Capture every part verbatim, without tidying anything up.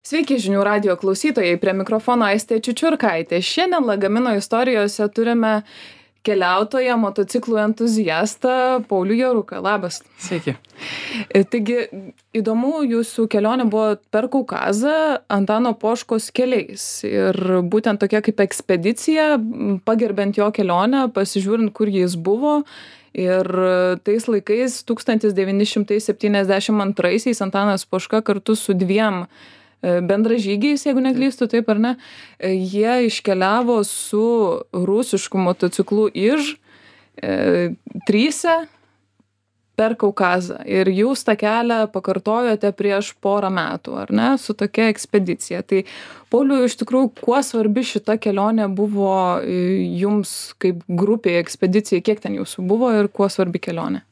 Sveiki žinių radijo klausytojai, prie mikrofono Aistė Čiučiurkaitė. Šiandien Lagamino istorijose turime keliautoją, motociklų entuziastą Paulių Jaruką. Labas. Sveiki. Taigi, įdomu, jūsų kelionė buvo per Kaukazą Antano Poškos keliais. Ir būtent tokia kaip ekspedicija, pagerbent jo kelionę, pasižiūrint, kur jis buvo. Ir tais laikais tūkstantis devyni šimtai septyniasdešimt antraisiais Antanas Poška kartu su dviem bendražygiais, jeigu neklystu, taip ar ne, jie iškeliavo su rusišku motociklu Iž e, tryse per Kaukazą. Ir jūs tą kelią pakartojote prieš porą metų, ar ne, su tokia ekspedicija. Tai, Pauliau, iš tikrųjų, kuo svarbi šita kelionė buvo jums kaip grupiai ekspedicijai, kiek ten jūsų buvo ir kuo svarbi kelionė?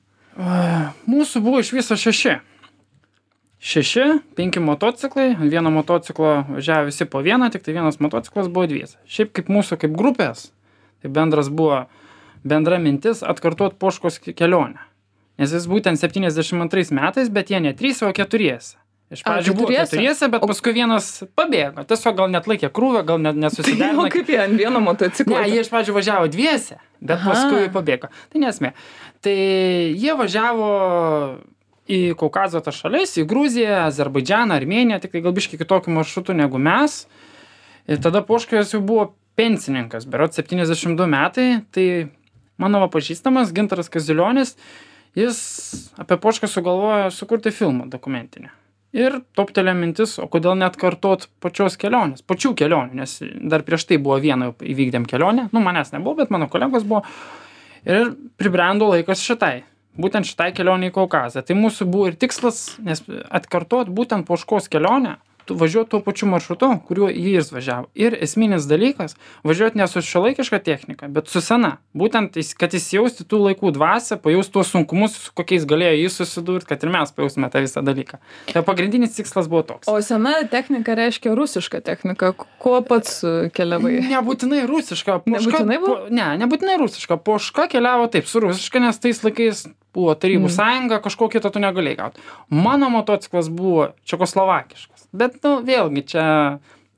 Mūsų buvo iš viso šeši. Šeši, penki motociklai, vieno motociklo važiavo visi po vieną, tik tai vienas motociklas buvo dviese. Šiaip kaip mūsų, kaip grupės, tai bendras buvo bendra mintis atkartuot Poškos kelionę. Nes jis būtent septyniasdešimt antrais metais, bet jie ne trys, o keturiese. Iš pradžių buvo keturiese, bet paskui vienas pabėgo. Tiesiog gal net laikė krūvę, gal net nesusiderino. Tai kaip jie ant vieno motociklo? Ne, jie iš pradžių važiavo dviese, bet Aha. paskui pabėgo. Tai nesmė. Tai jie važiavo į Kaukazo tas šalis, į Gruziją, Azerbaidžaną, Armėniją, tik tai gal biškai kitokiu maršrutu negu mes. Ir tada Poškas jau buvo pensininkas, berods septyniasdešimt du metai, tai mano pažįstamas Gintaras Kazilionis, jis apie Pošką sugalvojo sukurti filmą dokumentinį. Ir toptelė mintis, o kodėl net kartot pačios kelionės, pačių kelionių, nes dar prieš tai buvo vieną įvykdėm kelionę, nu manęs nebuvo, bet mano kolegos buvo. Ir pribrendo laikas šitai. Būtent šitai kelionė į Kaukazą. Tai mūsų buvo ir tikslas, nes atkartot būtent Poškos kelionę, važiuoti tuo pačiu maršrutu, kuriuo jis važiavo. Ir esminis dalykas, važiuoti ne su šiuolaikiška technika, bet su sena. Būtent, kad įsijausti tų laikų dvasią, pajausti tuos sunkumus, su kokiais galėjo jis susidurti, kad ir mes pajausime tą visą dalyką. Tai pagrindinis tikslas buvo toks. O sena technika reiškia rusiška technika. Kuo pats keliavai? Nebūtinai rusiška. Poška, nebūtinai buvo? Po, ne, nebūtinai rusiška. Poška keliavo taip, su rusiška, nes tais laikais buvo Tarybų mm. sąjunga, kažko kito tu negalėjai gauti. Mano motociklas buvo čekoslovakiškas. Bet, nu, vėlgi, čia,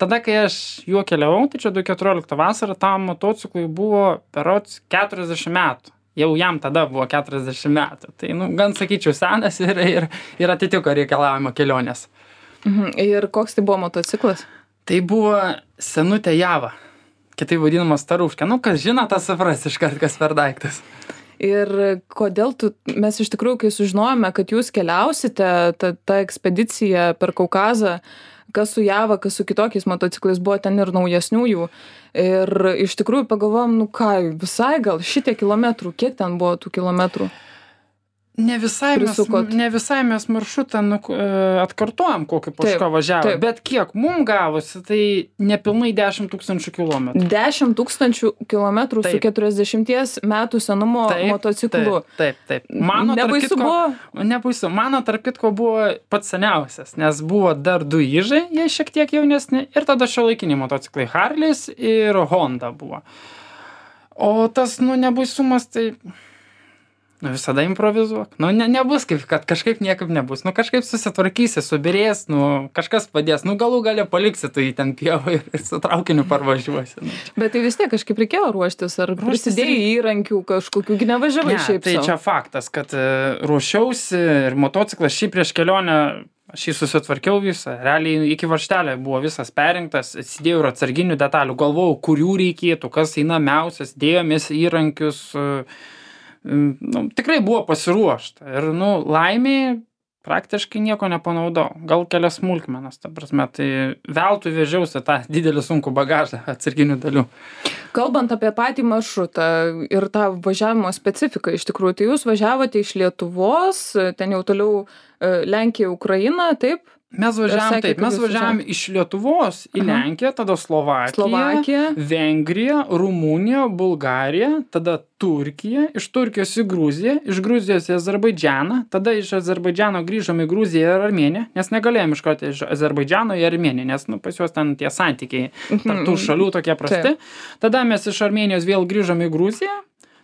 tada, kai aš juo keliavau, tai čia du tūkstančiai keturioliktų vasarą, tam motociklui buvo berods keturiasdešimt metų. Jau jam tada buvo keturiasdešimt metų. Tai, nu, gan sakyčiau, senas ir, ir, ir atitiko reikalavimą kelionės. Mhm. Ir koks tai buvo motociklas? Tai buvo senutė Java, kitaip vadinamas Staruška. Nu, kas žino, tas supras iškart, kas per daiktas. Ir kodėl tu, mes iš tikrųjų, kai sužinojome, kad jūs keliausite, ta, ta ekspedicija per Kaukazą, kas su Java, kas su kitokiais motociklais, buvo ten ir naujesnių jų. Ir iš tikrųjų pagalvojom, nu ką, visai gal šitie kilometrų, kiek ten buvo tų kilometrų? Ne visai, mes, ne visai mes maršrutą nu, atkartojam, kokį Poška važiavo, bet kiek mum gavosi, tai nepilnai dešimt tūkstančių kilometrų. dešimt tūkstančių kilometrų su keturiasdešimties metų senumo taip, motociklu. Taip, taip, taip. Mano, nebaisu kitko, buvo? Nebaisu. Mano, tarp kitko, buvo pats seniausias, nes buvo dar du Ižai, jie šiek tiek jaunesni, ir tada šiuolaikiniai motociklai Harleys ir Honda buvo. O tas, nu, nebaisumas, tai... Nu, visada improvizuok. Nu, ne, nebus kaip, kad kažkaip niekaip nebus. Nu, kažkaip susitvarkysi, subirės, nu, kažkas padės. Nu, galų galia paliksi tu į ten pievą ir, ir su traukiniu parvažiuosi. Nu. Bet tai vis tiek kažkaip reikėjo ruoštis, ar ruoštis prisidėjai reik... įrankių kažkokių, nevažiavai ne, šiaip tai savo. Čia faktas, kad uh, ruošiausi ir motociklas šį prieš kelionę, aš jį susitvarkiau visą. Realiai iki varžtelio buvo visas perinktas, atsidėjau ir atsarginių detalių, galvojau, kurių reikėtų, kas įnamiausias, dėjomės įrankius, uh, nu, tikrai buvo pasiruošta ir, nu, laimiai praktiškai nieko nepanaudau. Gal kelias smulkmenas, ta prasme, tai veltui vežiausi tą didelį sunkų bagažą atsarginių dalių. Kalbant apie patį maršrutą ir tą važiavimo specifiką, iš tikrųjų, tai jūs važiavote iš Lietuvos, ten jau toliau Lenkija, Ukraina, taip? Mes važiavom taip, mes važiavom iš Lietuvos į Lenkiją, tada Slovakiją, Slovakiją, Vengriją, Rumuniją, Bulgariją, tada Turkiją, iš Turkijos į Gruziją, iš Gruzijos į Azerbaidžaną, tada iš Azerbaidžano grįžom į Gruziją ir Armėniją, nes negalėjom iškoti iš Azerbaidžano į Armėniją, nes, nu, pas juos ten tie santykiai tarp tų šalių tokie prasti. Tada mes iš Armėnijos vėl grįžom į Gruziją,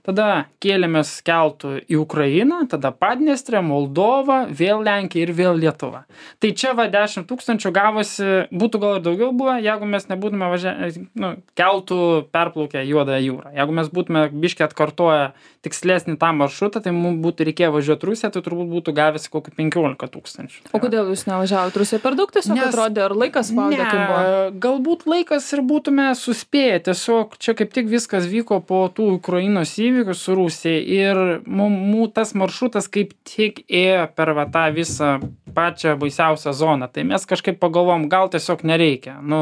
tada kėlėmės keltu į Ukrainą, tada Padniestrę, Moldovą, vėl Lenkiją ir vėl Lietuvą. Tai čia va dešimt tūkstančių gavosi, būtų gal ir daugiau buvę, jeigu mes nebūtume važia, nu, keltų perplaukę Juodąją jūrą. Jeigu mes būtume biškį atkartoję tikslesnį tą maršrutą, tai mums būtų reikėję važiuoti Rusiją, tai turbūt būtų gavęs kokį penkiolika tūkstančių. O kodėl jūs nevažiavote Rusiją per daug? Tiesiog Nes, atrodė, ar laikas spaudė, kaip buvo? Galbūt laikas ir būtume suspėję. Tiesiog čia kaip tik viskas vyko po tų Ukrainos įvykių su Rusija ir mums tas maršrutas kaip tik ėjo per va, tą visą pačią baisiausią zoną. Tai mes kažkaip pagalvom, gal tiesiog nereikia. Nu,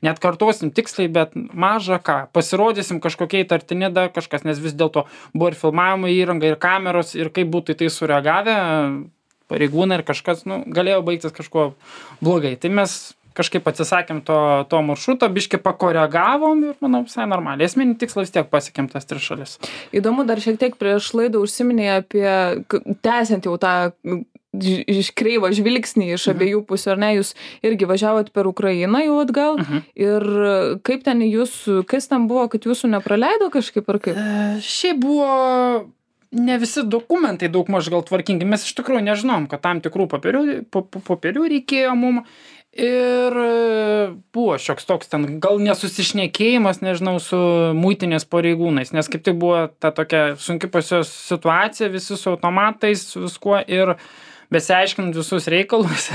net kartuosim tiksliai, bet maža ką. Pasirodysim kažkokie įtartini dar kažkas, nes vis dėlto buvo ir filmavimo įranga, ir kameros, ir kaip būtų į tai sureagavę pareigūnai ir kažkas, nu, galėjo baigtis kažkuo blogai. Tai mes kažkaip atsisakėm to, to maršruto, biškį pakoregavom ir, manau, visai normaliai. Esminį tikslą vis tiek pasiekėm tas tris šalis. Įdomu, dar šiek tiek prieš laidą užsiminė apie, tęsiant jau tą iš kreivą žvilgsnį iš abiejų pusių, ar ne, jūs irgi važiavot per Ukrainą jau atgal, uh-huh. ir kaip ten jūs, kas ten buvo, kad jūsų nepraleido kažkaip ar kaip? E, šiaip buvo ne visi dokumentai daug maž gal tvarkingi, mes iš tikrųjų nežinom, kad tam tikrų popierių, popierių reikėjo mum ir buvo šioks toks ten, gal nesusišnekėjimas, nežinau, su muitinės pareigūnais, nes kaip tik buvo ta tokia sunki pas juos situacija, visi su automatais, viskuo ir besiaiškinant visus reikalus,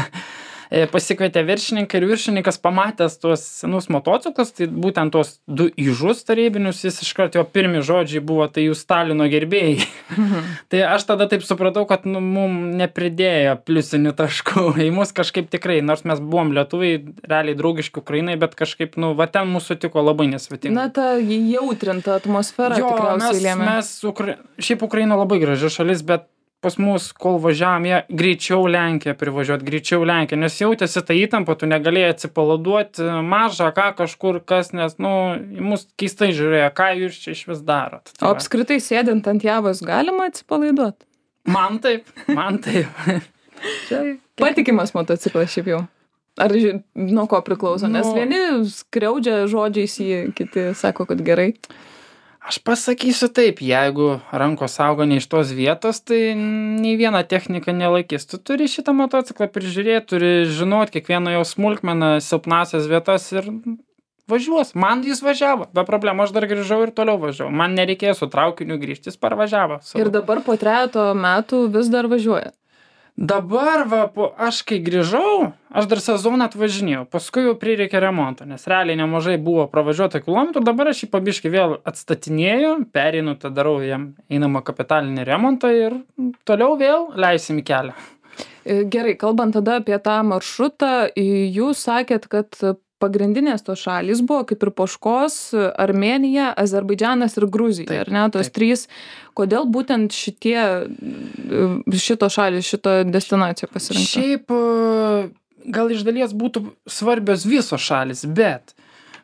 pasikvietė viršininką ir viršininkas pamatęs tuos senus motociklus, tai būtent tuos du įžus tarybinius, jis iškart jo pirmi žodžiai buvo, tai jūs Stalino gerbėjai. Mhm. Tai aš tada taip supratau, kad nu, mum nepridėjo pliusinių taškų, į mus kažkaip tikrai, nors mes buvom lietuviai, realiai draugiški Ukrainai, bet kažkaip, nu, va ten mūsų tiko labai nesvetinga. Na, ta jautrinta atmosfera jo, tikriausiai lėmė. Mes, Ukra... šiaip Ukraina labai graži šalis, bet pas mus, kol važiavom, jie greičiau Lenkiją privažiuot, greičiau Lenkiją, nes jautėsi tą įtampą, tu negalėjai atsipalaiduoti mažą, ką kažkur kas, nes, nu, mus keistai žiūrėjo, ką jūs čia iš vis darot. Tai o apskritai sėdint ant Javos galima atsipalaiduoti? Man taip, man taip. Patikimas motociklas šiaip jau. Ar nuo ko priklauso? Nu, nes vieni skriaudžia žodžiais jį, kiti sako, kad gerai. Aš pasakysiu taip, jeigu rankos auga ne iš tos vietos, tai nei viena technika nelaikys. Tu turi šitą motociklą prižiūrėti, turi žinot kiekvieną jo smulkmeną, silpnasias vietas ir važiuos. Man jis važiavo, be problemų, aš dar grįžau ir toliau važiavau. Man nereikėjo su traukiniu grįžti, jis parvažiavo. Savo. Ir dabar po trejato metų vis dar važiuoja? Dabar, va, po, aš kai grįžau, aš dar sezoną atvažinėjau, paskui jau prireikė remonto, nes realiai nemažai buvo pravažiuota kilometrų, dabar aš jį pabiškai vėl atstatinėju, pereinu, tada darau jam einamą kapitalinį remontą ir toliau vėl leisim į kelią. Gerai, kalbant tada apie tą maršrutą, jūs sakėt, kad pagrindinės tos šalys buvo kaip ir Poškos, Armėnija, Azerbaidžanas ir Gruzija, taip, ar ne, tos taip. Trys. Kodėl būtent šitie, šito šalis, šito destinaciją pasirinkta? Šiaip gal iš dalies būtų svarbios visos šalis, bet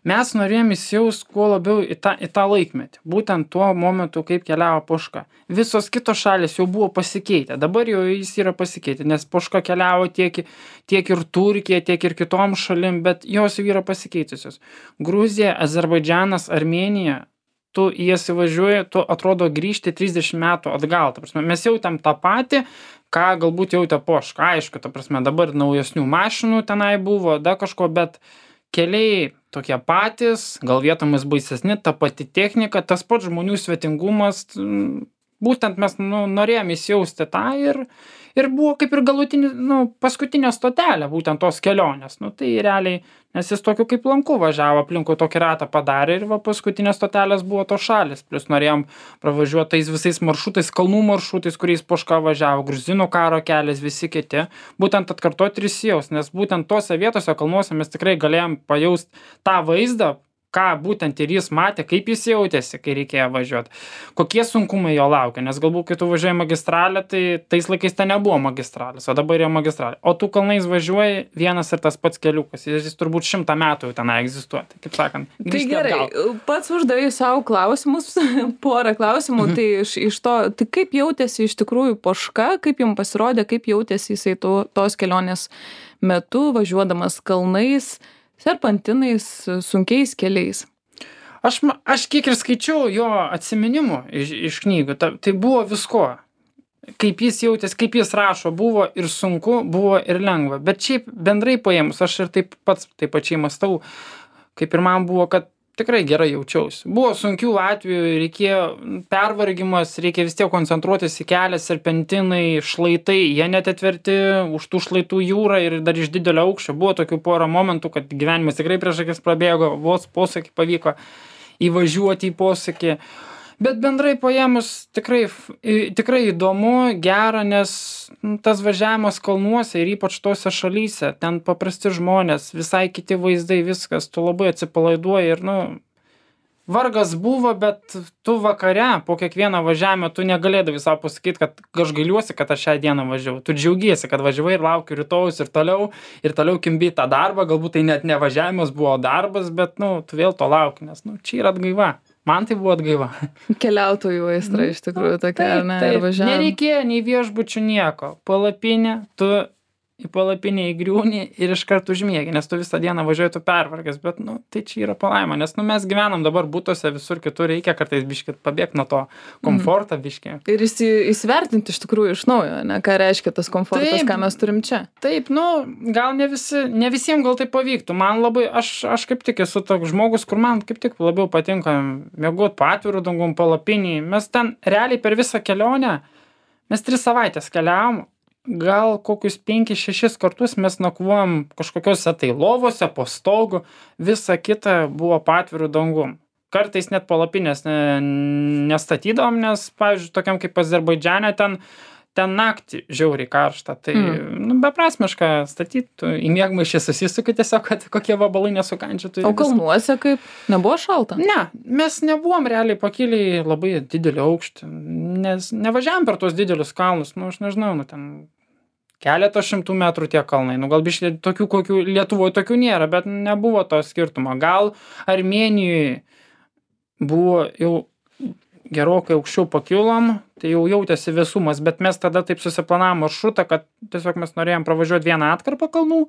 mes norėjom įsijaust kuo labiau į tą, į tą laikmetį. Būtent tuo momentu, kaip keliavo Poška. Visos kitos šalis jau buvo pasikeitę. Dabar jau jis yra pasikeitę, nes Poška keliavo tiek, tiek ir Turkija, tiek ir kitom šalim, bet jos jau yra pasikeitusios. Gruzija, Azerbaidžanas, Armėnija, tu į jas įvažiuoji, tu atrodo grįžti trisdešimt metų atgal. Ta prasme, mes jautėm tą patį, ką galbūt jautė Poška. Aišku, ta prasme, dabar naujesnių mašinų tenai buvo, da kažko, bet keliai tokie patys, gal vietomis baisesni, ta pati technika, tas pats žmonių svetingumas, būtent mes nu, norėjom įsijausti tą ir, ir buvo kaip ir galutinį, nu, paskutinė stotelė, būtent tos kelionės. Nu, tai realiai, nes jis tokiu kaip lanku važiavo, aplinkui tokį ratą padarė ir va, paskutinės stotelės buvo tos šalis. Plus norėjom pravažiuoti tais visais maršrutais, kalnų maršrutais, kuriais Poška važiavo, Gruzinų karo kelias, visi kiti. Būtent atkartoti ir įsijaust, nes būtent tose vietose kalnuose mes tikrai galėjom pajaust tą vaizdą, ką būtent ir jis matė, kaip jis jautėsi, kai reikėjo važiuoti, kokie sunkumai jo laukia, nes galbūt, kai tu važiuoji magistralę, tai tais laikais ten nebuvo magistralės, o dabar yra magistralė. O tu kalnais važiuoji vienas ir tas pats keliukas, jis turbūt šimtą metų jau ten egzistuoja, tai kaip sakant, grįžti tai gerai, atgal. Pats uždavai savo klausimus, porą klausimų, mhm. tai iš, iš to, tai kaip jautėsi iš tikrųjų Poška, kaip jums pasirodė, kaip jautėsi jisai to, tos kelionės metu, važiuodamas kalnais, serpantinais, sunkiais keliais? Aš, ma- aš kiek ir skaičiau jo atsiminimų iš, iš knygų, ta, tai buvo visko. Kaip jis jautės, kaip jis rašo, buvo ir sunku, buvo ir lengva. Bet šiaip bendrai paėmus, aš ir taip pats taip pačiai mąstau, kaip ir man buvo, kad tikrai gerai jaučiausi. Buvo sunkių atvejų, reikėjo pervargimas, reikia vis tiek koncentruotis į kelią, serpentinai, šlaitai, jie net atverti už tų šlaitų jūrą ir dar iš didelio aukščio. Buvo tokių porą momentų, kad gyvenimas tikrai prieš akis prabėgo, vos posakį pavyko įvažiuoti į posakį. Bet bendrai paėmus tikrai, f- i- tikrai įdomu, gera, nes nu, tas važiavimas kalnuose ir ypač tose šalyse, ten paprasti žmonės, visai kiti vaizdai, viskas, tu labai atsipalaiduoji ir, nu, vargas buvo, bet tu vakare po kiekvieno važiavimo tu negalėdavai savo pasakyti, kad aš gailiuosi, kad aš šią dieną važiavau. Tu džiaugiesi, kad važiavai ir lauki rytojus ir toliau, ir toliau kimbi tą darbą, galbūt tai net ne važiavimas buvo darbas, bet, nu, tu vėl to lauki, nes, nu, čia yra atgaiva. Man tai buvo atgaiva. Keliautojų aistra iš tikrųjų tokia, ar ne? Ir važiavom. Nereikėjo nei viešbučių nieko. Palapinė, tu į palapinę įgriūni ir iš karto užmiegi, nes tu visą dieną važiuoji, tu pervargęs, bet, nu, tai čia yra palaima, nes, nu, mes gyvenam dabar būtuose, visur kitur reikia kartais biškį pabėgti nuo to komfortą biškį. Ir įsi, įsivertinti iš tikrųjų iš naujo, ne, ką reiškia tas komfortas, Taip. ką mes turim čia. Taip, nu, gal ne visi, ne visiems gal tai pavyktų. Man labai, aš, aš kaip tik esu toks žmogus, kur man kaip tik labiau patinka mėgot po atvirų dangum, palapinį. Mes ten realiai per visą kelionę, mes tris savaitės keliavom, gal kokius penkis šešis kartus mes nakvojom kažkokiuose tai lovose, po stogu, visa kita buvo po atvirų dangum. Kartais net palapinės ne, nestatydavom, nes, pavyzdžiui, tokiam kaip Azerbaidžane, ten, ten naktį žiauriai karšta. Tai, mm. nu, beprasmiška statyti, tu į miegmaišį susisuki tiesiog, kad kokie vabalai nesukandžiotų. O kalnuose kaip? Nebuvo šalta? Ne, mes nebuvom realiai pakilę labai didelį aukštį, nes nevažiavam per tos didelius kalnus, nu, aš nežinau, nu, ten keletą šimtų metrų tie kalnai, nu, gal biškai tokių, kokių Lietuvoje tokių nėra, bet nebuvo to skirtumo. Gal Armėnijoje buvo jau gerokai aukščiau pakilom, tai jau jautėsi vėsumas, bet mes tada taip susiplanavom maršrutą, kad tiesiog mes norėjom pravažiuoti vieną atkarpą kalnų,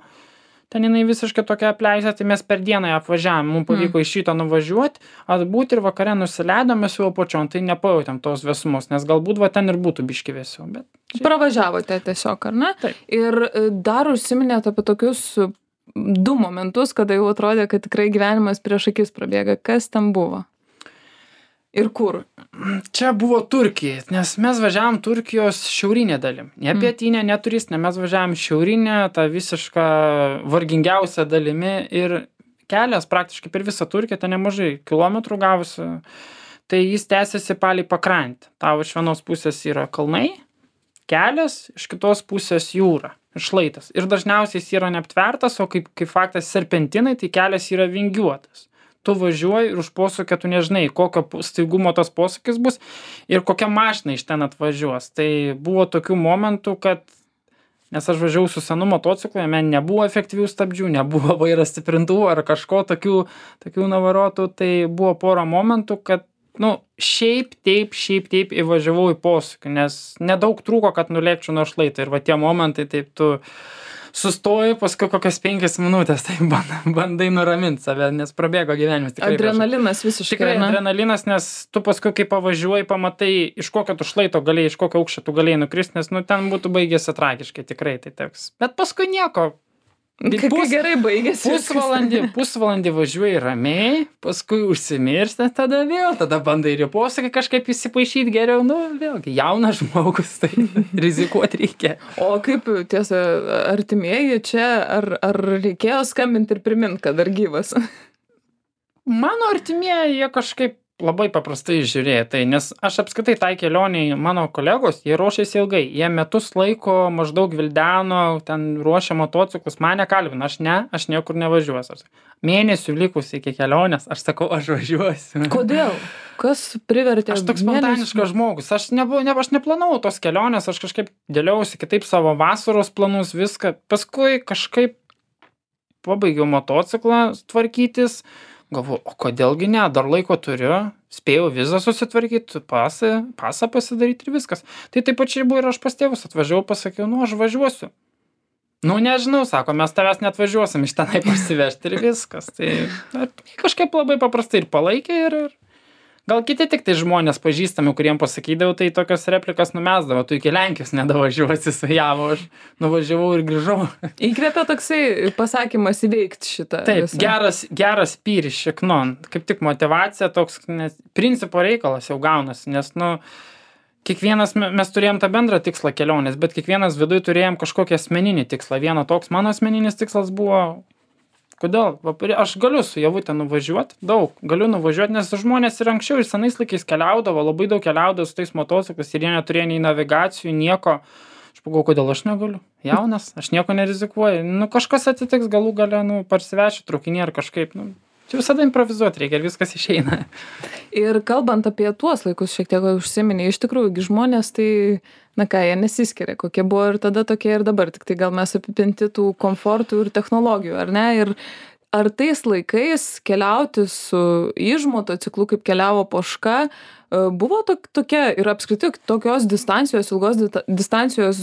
ten jinai visiškai tokia apleista, tai mes per dieną ją apvažiavom, mums pavyko mm. iš šito nuvažiuoti, atbūti ir vakare nusileidom, mes jau apačion, tai nepajautėm tos vėsumos, nes galbūt va ten ir būtų biški vėsiau, bet... Šiaip... Pravažiavote tiesiog, ar ne? Taip. Ir e, dar užsiminėte apie tokius e, du momentus, kada jau atrodė, kad tikrai gyvenimas prieš akis prabėga. Kas ten buvo? Ir kur? Čia buvo Turkija, nes mes važiavom Turkijos šiaurinė dalim. Ne pietinė, ne turistinė, mes važiavom šiaurinę, tą visišką vargingiausią dalimi ir kelias praktiškai per visą Turkiją, ten nemažai kilometrų gavosi. Tai jis tęsiasi palei pakrantę. Tavo iš vienos pusės yra kalnai, kelias, iš kitos pusės jūra, šlaitas. Ir dažniausiai jis yra neaptvertas, o kaip, kaip faktas serpentinai, tai kelias yra vingiuotas. Tu važiuoji ir už posūkio tu nežinai, kokio staigumo tas posūkis bus ir kokia mašina iš ten atvažiuos. Tai buvo tokių momentų, kad, nes aš važiavau su senu motociklu, jame nebuvo efektyvių stabdžių, nebuvo vairas stiprintuvų ar kažko tokių, tokių navarotų, tai buvo pora momentų, kad, nu, šiaip taip, šiaip taip įvažiavau į posūkį, nes nedaug trūko, kad nulėkčiau nuo šlaito ir va tie momentai taip tu... Sustoji, paskui kokias penkias minutės, tai bandai nuraminti save, nes prabėgo gyvenimas. Tikrai adrenalinas visiškai. Tikrai ne? Adrenalinas, nes tu paskui, kai pavažiuoji, pamatai, iš kokio tu šlaito galėjai, iš kokio aukščio tu galėjai nukristi, nes, nu, ten būtų baigėsi tragiškai, tikrai tai teks. Bet paskui nieko. Kaip Pus, gerai baigėsi. Pusvalandį, pusvalandį važiuoji ramiai, paskui užsimiršti, tada vėl, tada bandai ir į posakį kažkaip įsipaišyti geriau, nu, vėlgi, jaunas žmogus, tai rizikuoti reikia. O kaip, tiesa, artimieji čia, ar, ar reikėjo skambinti ir priminti, kad dar gyvas? Mano artimieji, jie kažkaip labai paprastai žiūrėjo, tai, nes aš apskritai tai kelioniai, mano kolegos, jie ruošėsi ilgai, jie metus laiko maždaug vildeno, ten ruošė motociklus, mane kalbina, aš ne, aš niekur nevažiuosiu. Mėnesių likus iki kelionės, aš sakau, aš važiuosiu. Kodėl? Kas privertė? Aš toks spontaniškas žmogus, aš, nebu, ne, aš neplanavau tos kelionės, aš kažkaip dėliausi kitaip savo vasaros planus, viską, paskui kažkaip pabaigiau motociklą tvarkytis, galvoju, o kodėlgi ne, dar laiko turiu, spėjau vizą susitvarkyti, pasą, pasą pasidaryti ir viskas. Tai taip pačiai buvo ir aš pas tėvus atvažiavau, pasakiau, nu aš važiuosiu. Nu, nežinau, sako, mes tavęs net važiuosim iš tenai parsivežti ir viskas. Tai kažkaip labai paprastai ir palaikė ir, ir gal kiti tik tai žmonės pažįstami, kuriem pasakydavau, tai tokios replikas numesdavo, tu iki Lenkijos nedavažiuosi su Javo, aš nuvažiavau ir grįžau. Įkvėpia toksai pasakymas įveikti šitą. Taip, visą. geras, geras pyris šiknon, kaip tik motivacija toks, nes principo reikalas jau gaunasi, nes, nu, kiekvienas, mes turėjom tą bendrą tikslą kelionės, bet kiekvienas viduj turėjom kažkokį asmeninį tikslą. Vieno toks mano asmeninis tikslas buvo, kodėl? Aš galiu su Javute nuvažiuoti, daug, galiu nuvažiuoti, nes žmonės ir anksčiau ir senais laikais keliaudavo, labai daug keliaudavo su tais motociklais ir jie neturėjo nei navigacijų, nieko. Aš pagalvoju, kodėl aš negaliu? Jaunas, aš nieko nerizikuoju. Nu, kažkas atsitiks galų gale, nu, parsivešiu traukinį ar kažkaip, nu. Čia visada improvizuoti reikia ir viskas išeina. Ir kalbant apie tuos laikus, šiek tiek užsiminė, iš tikrųjų, žmonės tai, na ką, jie nesiskiria, kokie buvo ir tada tokie ir dabar, tik tai gal mes apipinti tų komfortų ir technologijų, ar ne? Ir ar tais laikais keliauti su iž motociklu, kaip keliavo Poška, buvo tok, tokia ir apskritai tokios distancijos, ilgos distancijos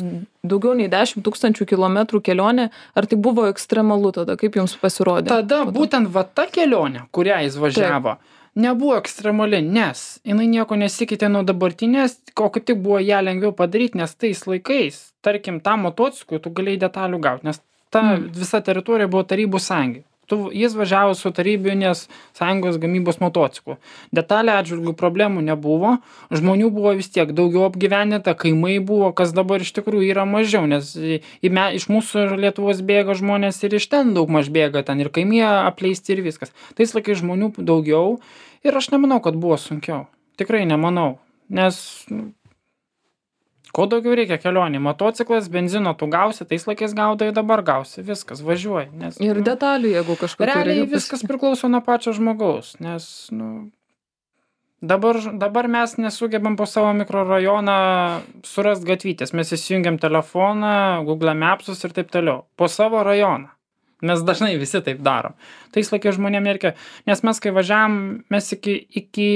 daugiau nei dešimt tūkstančių kilometrų kelionė, ar tai buvo ekstremalu tada, kaip jums pasirodė? Tada būtent va ta kelionė, kurią jis važiavo, Taip. nebuvo ekstremali, nes jinai nieko nesikeitė nuo dabartinės, o kaip tik buvo ją lengviau padaryti, nes tais laikais, tarkim, tam motociklui tu galėjai detalių gauti, nes ta mm. visa teritorija buvo Tarybų sąjungai. Tu, jis važiavo su Tarybinės sąjungos gamybos motociklu. Detalė atžvilgių problemų nebuvo, žmonių buvo vis tiek daugiau apgyvendinta, kaimai buvo, kas dabar iš tikrųjų yra mažiau, nes į, me, iš mūsų Lietuvos bėga žmonės ir iš ten daug maž bėga, ten ir kaimie apleisti ir viskas. Tais laikais žmonių daugiau ir aš nemanau, kad buvo sunkiau. Tikrai nemanau, nes ko daugiau reikia kelionį. Motociklas, benzino tu gausi, tais laikais gaudai, dabar gausi. Viskas, važiuoji. Nes, ir detalių, jeigu kažkokiu realiai reikia. Viskas priklauso nuo pačio žmogaus, nes, nu, dabar, dabar mes nesugebam po savo mikrorajoną surast gatvytės. Mes įsijungiam telefoną, Google Mapsus ir taip toliau. Po savo rajoną. Mes dažnai visi taip darom. Tais laikais žmonėm reikia, nes mes kai važiavam, mes iki, iki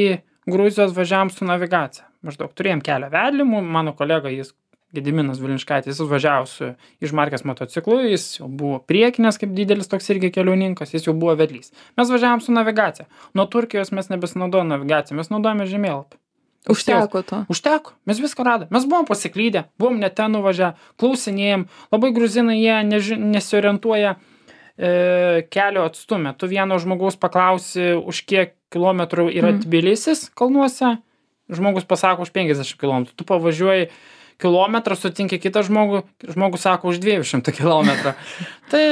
Gruzijos važiavam su navigacija. Maždaug turėjom kelio vedlimų, mano kolega, jis Gediminas Vilinškaitis, jis važiavo su Ižmarkės motociklu, jis jau buvo priekinės kaip didelis toks irgi keliauninkas, jis jau buvo vedlys. Mes važiavom su navigacija. Nuo Turkijos mes nebesinaudojame navigaciją, mes naudojame žemėlapį. Užteko to. Užteko, mes viską radome. Mes buvom pasiklydę, buvom net ten nuvažiavę, klausinėjom, labai gruzinai jie neži, nesiorientuoja e, kelio atstumę. Tu vieno žmogaus paklausi, už kiek kilometrų yra mm. Tbilisis kalnuose, žmogus pasako už penkiasdešimt kilometrų, tu pavažiuoji kilometrą, sutinki kitą žmogų, žmogus sako už dviejų šimtų kilometrų. Tai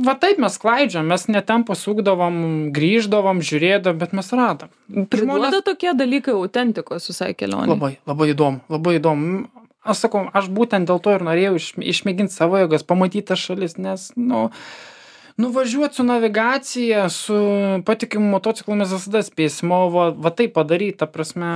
va taip mes klaidžiam, mes netem pasukdavom, grįždavom, žiūrėdavom, bet mes radom. Priduoda Žmonės... tokie dalykai autentikos visai kelionė. Labai, labai įdomu, labai įdomu. Aš sakau, aš būtent dėl to ir norėjau iš, išmėginti savo jėgas, pamatyti tas šalis, nes, nu, nuvažiuoti su navigacija, su patikimu motociklu mes visada spėsim, o va, va tai padaryti, ta prasme,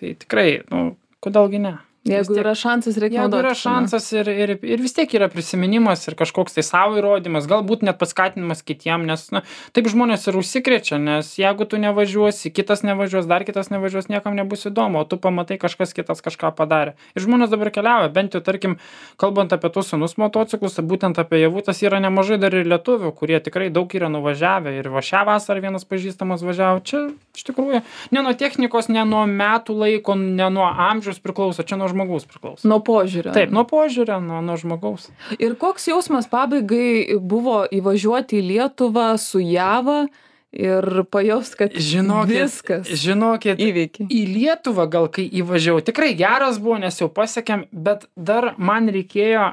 tai tikrai, nu, kodėlgi ne. Jeigu tiek, yra šansas, reikia naudoti. Jeigu yra šansas ir, ir, ir vis tiek yra prisiminimas ir kažkoks tai savo įrodymas, galbūt net paskatinimas kitiem, nes na, taip žmonės ir užsikrečia, nes jeigu tu nevažiuosi, kitas nevažiuos, dar kitas nevažiuos, niekam nebus įdomu, o tu pamatai kažkas kitas kažką padarė. Ir žmonės dabar keliauja, bent jau tarkim, kalbant apie tus senus motociklus, būtent apie Javutas yra nemažai dar ir lietuvių, kurie tikrai daug yra nuvažiavę ir va šią vasarą vienas pažįstamas važiavo. Čia iš tikrųjų ne nuo technikos, ne nuo metų laiko, ne nuo amžiaus priklauso, čia nuo žmogaus priklauso. Nuo požiūrio. Taip, nuo požiūrio, nuo, nuo žmogaus. Ir koks jausmas pabaigai buvo įvažiuoti į Lietuvą su Java ir pajaust, kad žinokit, viskas žinokit, įveikė. Į Lietuvą gal kai įvažiavau, tikrai geras buvo, nes jau pasiekėm, bet dar man reikėjo,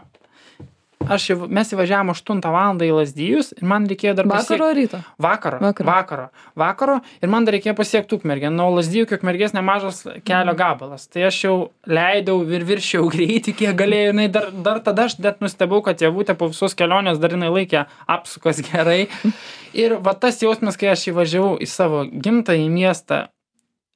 aš jau, mes įvažiavom aštuntą valandą į Lazdijus ir man reikėjo dar pasiekti. Vakaro ryto? Vakaro, vakaro. Vakaro. Vakaro ir man dar reikėjo pasiekti Ukmergę. Nuo Lazdijų iki Ukmergės nemažas kelio gabalas. Tai aš jau leidau ir viršiau greitį, kiek galėjau. Jinai dar, dar tada aš net nustebau, kad Javutė po visos kelionės dar jinai laikė apsukas gerai. Ir va tas jausmas, kai aš įvažiavau į savo gimtąjį miestą,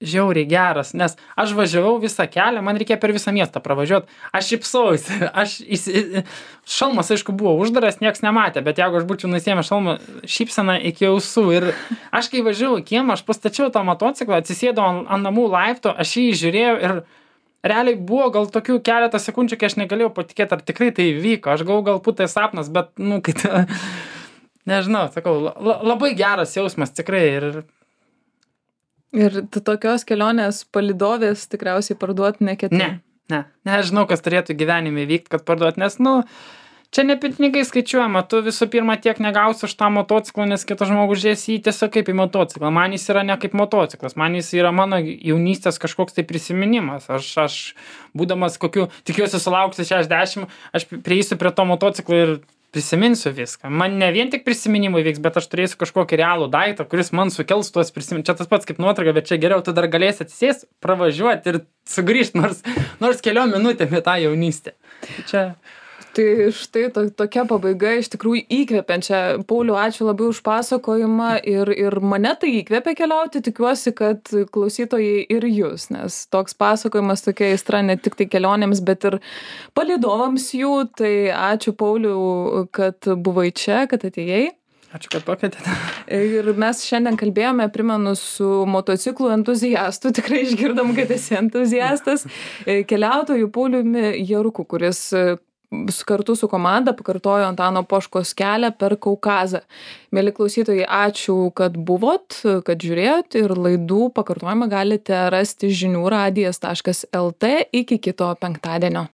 žiauriai geras, nes aš važiavau visą kelią, man reikėjo per visą miestą pravažiuoti, aš šypsausi, aš įsi... šalmas, aišku, buvo uždaras, nieks nematė, bet jeigu aš būčiau nusiėmęs šalmą, šypseną iki ausų ir aš kai važiavau į kiemą, aš pastačiau tą motociklą, atsisėdau ant, ant namų laipto, aš jį žiūrėjau ir realiai buvo gal tokių keletą sekundžių, kai aš negalėjau patikėti, ar tikrai tai vyko. Aš galvoju, galbūt tai sapnas, bet, nu, kai ta, nežinau, sakau, la, labai geras jausmas, tikrai. Ir, ir tokios kelionės palydovės tikriausiai parduoti neketini. Ne, ne, nežinau, kas turėtų gyvenime vykti, kad parduoti, nes, nu, čia ne pinigai skaičiuojama, tu visų pirma tiek negausi už tą motociklą, nes kitas žmogus žies jį tiesiog kaip į motociklą. Man jis yra ne kaip motociklas, man jis yra mano jaunystės kažkoks tai prisiminimas. Aš, aš būdamas kokiu, tikiuosi sulauksiu šešiasdešimt, aš prieisiu prie to motociklo ir prisiminsiu viską. Man ne vien tik prisiminimai vyks, bet aš turėsiu kažkokį realų daiktą, kuris man sukels tuos prisiminimus. Čia tas pats kaip nuotrauka, bet čia geriau tu dar galėsi atsisėsti, pravažiuoti ir sugrįžti nors, nors keliom minutėm į tą jaunystę. Čia... Tai štai to, tokia pabaiga iš tikrųjų įkvepiančia. Pauliau, ačiū labai už pasakojimą ir, ir mane tai įkvepia keliauti. Tikiuosi, kad klausytojai ir jūs, nes toks pasakojimas, tokia aistra ne tik tai kelionėms, bet ir palydovams jų. Tai ačiū, Pauliau, kad buvai čia, kad atėjai. Ačiū, kad pakvietėte. Ir mes šiandien kalbėjome, primenu, su motociklų entuziastu, tikrai išgirdom, kad esi entuziastas, keliautojų Pauliumi Jaruku, kuris kartu su komanda pakartojo Antano Poškos kelią per Kaukazą. Mieli klausytojai, ačiū, kad buvot, kad žiūrėjot ir laidų pakartojimą galite rasti žinių radijas taškas lt iki kito penktadienio.